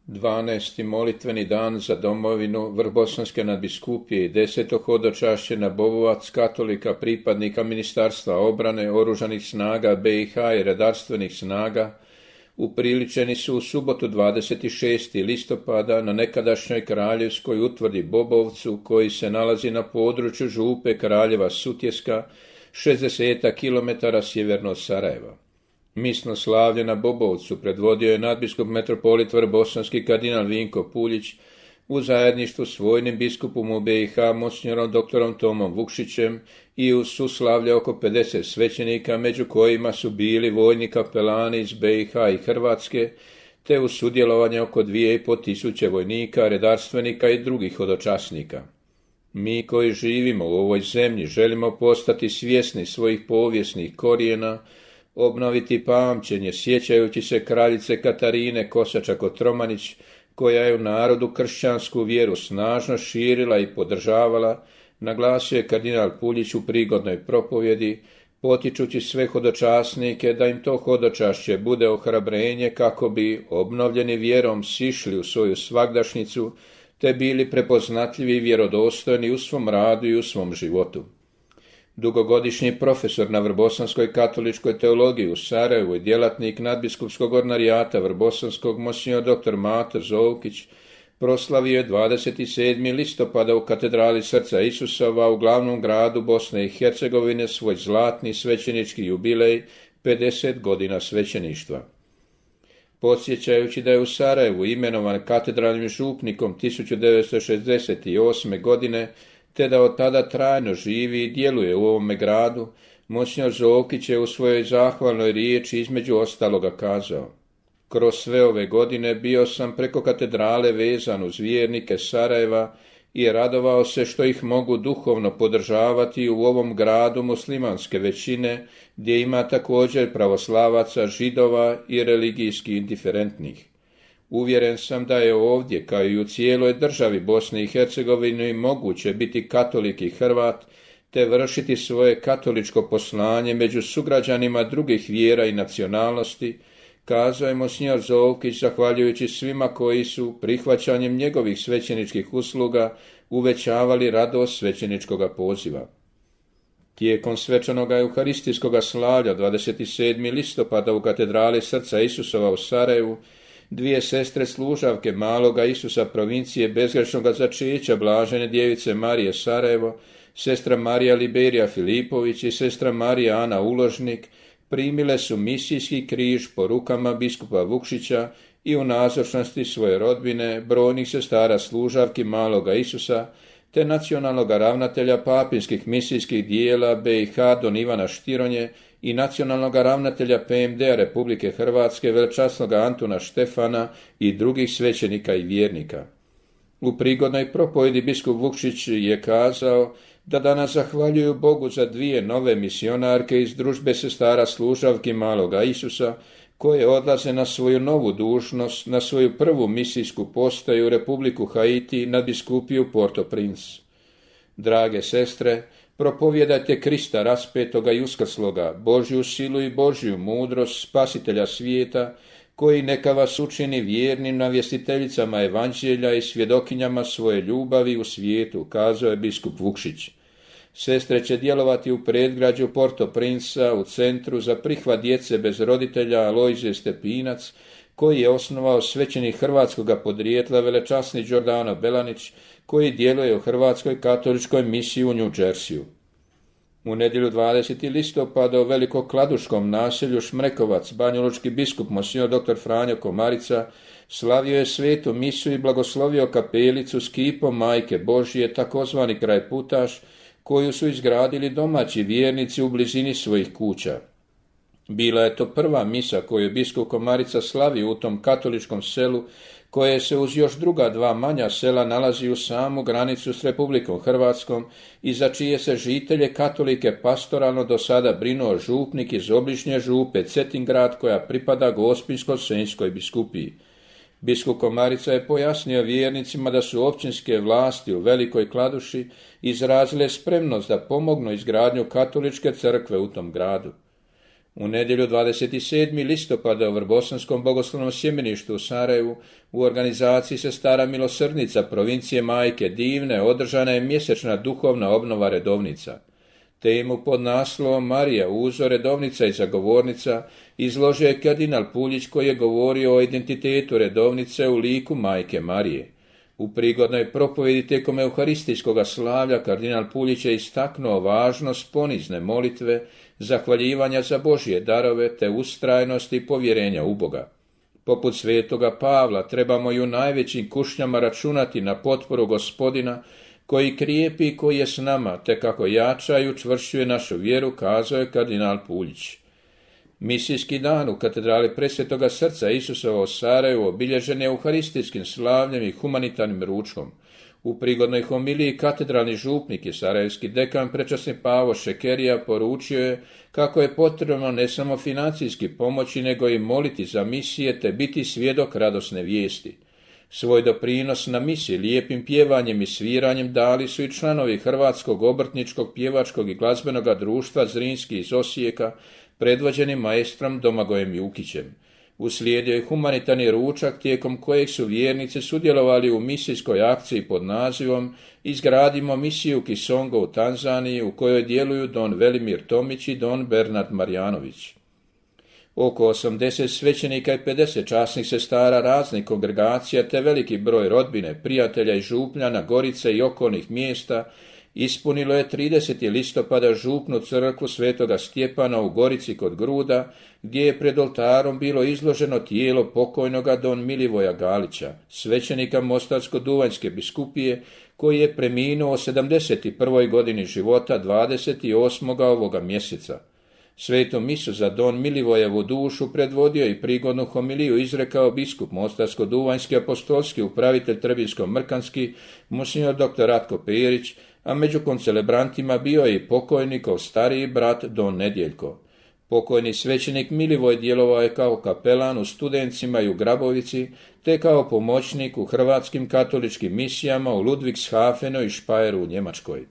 12. molitveni dan za domovinu Vrhbosanske nadbiskupije i 10. hodočašće na Bobovac katolika pripadnika Ministarstva obrane, oružanih snaga BiH i redarstvenih snaga upriličeni su u subotu 26. listopada na nekadašnjoj kraljevskoj utvrdi Bobovcu, koji se nalazi na području župe Kraljeva Sutjeska, 60 km sjeverno od Sarajeva. Misno slavlje na Bobovcu predvodio je nadbiskup metropolit vrhbosanski kardinal Vinko Puljić u zajedništvu s vojnim biskupom u BiH monsinjorom doktorom Tomom Vukšićem i uz suslavlje oko 50 svećenika, među kojima su bili vojni kapelani iz BiH i Hrvatske, te uz sudjelovanje oko 2500 vojnika, redarstvenika i drugih hodočasnika. Mi koji živimo u ovoj zemlji želimo postati svjesni svojih povijesnih korijena, obnoviti pamćenje sjećajući se kraljice Katarine Kosača-Kotromanić, koja je u narodu kršćansku vjeru snažno širila i podržavala, naglasio je kardinal Puljić u prigodnoj propovjedi, potičući sve hodočasnike da im to hodočašće bude ohrabrenje kako bi, obnovljeni vjerom, sišli u svoju svagdašnicu, te bili prepoznatljivi i vjerodostojni u svom radu i u svom životu. Dugogodišnji profesor na Vrhbosanskoj katoličkoj teologiji u Sarajevu i djelatnik nadbiskupskog ordinarijata Vrhbosanskog monsinjor dr. Mato Zovkić proslavio je 27. listopada u katedrali Srca Isusova u glavnom gradu Bosne i Hercegovine svoj zlatni svećenički jubilej 50 godina svećeništva. Podsjećajući da je u Sarajevu imenovan katedralnim župnikom 1968. godine, te da od tada trajno živi i djeluje u ovome gradu, monsinjor Zovkić je u svojoj zahvalnoj riječi između ostaloga kazao: kroz sve ove godine bio sam preko katedrale vezan uz vjernike Sarajeva i radovao se što ih mogu duhovno podržavati u ovom gradu muslimanske većine, gdje ima također pravoslavaca, židova i religijski indiferentnih. Uvjeren sam da je ovdje, kao i u cijeloj državi Bosne i Hercegovine, moguće biti katolik i Hrvat, te vršiti svoje katoličko poslanje među sugrađanima drugih vjera i nacionalnosti, kazao je monsinjor Zovkić, zahvaljujući svima koji su prihvaćanjem njegovih svećeničkih usluga uvećavali radost svećeničkoga poziva. Tijekom svečanoga euharistijskoga slavlja 27. listopada u katedrali Srca Isusova u Sarajevu, dvije sestre služavke Maloga Isusa provincije bezgrešnoga začeća Blažene djevice Marije Sarajevo, sestra Marija Liberija Filipović i sestra Marija Ana Uložnik, primile su misijski križ po rukama biskupa Vukšića i u nazočnosti svoje rodbine, brojnih sestara služavki Maloga Isusa, te nacionalnog ravnatelja papinskih misijskih dijela BiH don Ivana Štironje i nacionalnog ravnatelja PMD-a Republike Hrvatske velčasnog Antuna Štefana i drugih svećenika i vjernika. U prigodnoj propovjedi biskup Vukšić je kazao da danas zahvaljuju Bogu za dvije nove misionarke iz družbe sestara služavki Maloga Isusa, koje odlaze na svoju novu dužnost, na svoju prvu misijsku postaju u Republiku Haiti na biskupiju Port-au-Prince. Drage sestre, propovjedajte Krista raspetoga i uskrsloga, Božju silu i Božju mudrost spasitelja svijeta, koji neka vas učini vjernim navjestiteljicama evanđelja i svjedokinjama svoje ljubavi u svijetu, kazao je biskup Vukšić. Sestre će djelovati u predgrađu Port-au-Prince u centru za prihvat djece bez roditelja Alojzije Stepinac, koji je osnovao svećenik hrvatskoga podrijetla velečasni Đordano Belanić, koji djeluje u Hrvatskoj katoličkoj misiji u New Jerseyu. U nedjelju 20. listopada u velikokladuškom naselju Šmrekovac banjalučki biskup monsinjor dr. Franjo Komarica slavio je svetu misu i blagoslovio kapelicu s kipom Majke Božije, takozvani krajputaš, koju su izgradili domaći vjernici u blizini svojih kuća. Bila je to prva misa koju biskup Komarica slavi u tom katoličkom selu, koje se uz još druga dva manja sela nalazi u samu granicu s Republikom Hrvatskom i za čije se žitelje katolike pastoralno do sada brinuo župnik iz obližnje župe Cetingrad, koja pripada Gospinsko-senjskoj biskupiji. Biskup Komarica je pojasnio vjernicima da su općinske vlasti u Velikoj Kladuši izrazile spremnost da pomognu izgradnju katoličke crkve u tom gradu. U nedjelju 27. listopada u Vrbosanskom bogoslovnom sjemeništu u Sarajevu u organizaciji Sestara milosrdnica provincije Majke Divne održana je mjesečna duhovna obnova redovnica. Temu pod naslovom Marija, uzor, redovnica i zagovornica izložio je kardinal Puljić koji je govorio o identitetu redovnice u liku Majke Marije. U prigodnoj propovjedi tijekom euharistijskog slavlja kardinal Puljić je istaknuo važnost ponizne molitve, zahvaljivanja za Božje darove te ustrajnosti i povjerenja u Boga. Poput svetoga Pavla trebamo i u najvećim kušnjama računati na potporu Gospodina koji krijepi i koji je s nama, te kako jača i učvršćuje našu vjeru, kazao je kardinal Puljić. Misijski dan u katedrali Presvetoga srca Isusova u Sarajevu obilježen je euharistijskim slavljem i humanitarnim ručkom. U prigodnoj homiliji katedralni župnik i sarajevski dekan prečasni Pavo Šekerija poručio je kako je potrebno ne samo financijski pomoći, nego i moliti za misije te biti svjedok radosne vijesti. Svoj doprinos na misiji lijepim pjevanjem i sviranjem dali su i članovi Hrvatskog obrtničkog, pjevačkog i glazbenog društva Zrinski iz Osijeka, predvođeni maestrom Domagojem Jukićem. Uslijedio je humanitarni ručak tijekom kojeg su vjernici sudjelovali u misijskoj akciji pod nazivom Izgradimo misiju Kisongo u Tanzaniji, u kojoj djeluju don Velimir Tomić i don Bernard Marjanović. Oko 80 svećenika i 50 časnih sestara raznih kongregacija te veliki broj rodbine, prijatelja i župljana, Gorice i okolnih mjesta ispunilo je 30. listopada župnu crkvu Svetoga Stjepana u Gorici kod Gruda, gdje je pred oltarom bilo izloženo tijelo pokojnoga don Milivoja Galića, svećenika Mostarsko-duvanjske biskupije, koji je preminuo u 71. godini života 28. ovoga mjeseca. Svetu misu za don Milivojevu dušu predvodio i prigodnu homiliju izrekao biskup Mostarsko-duvanjski apostolski upravitelj Trebinsko-mrkanski, monsignor dr. Ratko Perić, a među koncelebrantima bio je i pokojnikov stariji brat don Nedjeljko. Pokojni svećenik Milivoj djelovao je kao kapelan u Studencima i u Grabovici, te kao pomoćnik u hrvatskim katoličkim misijama u Ludwigshafenu i Špajeru u Njemačkoj.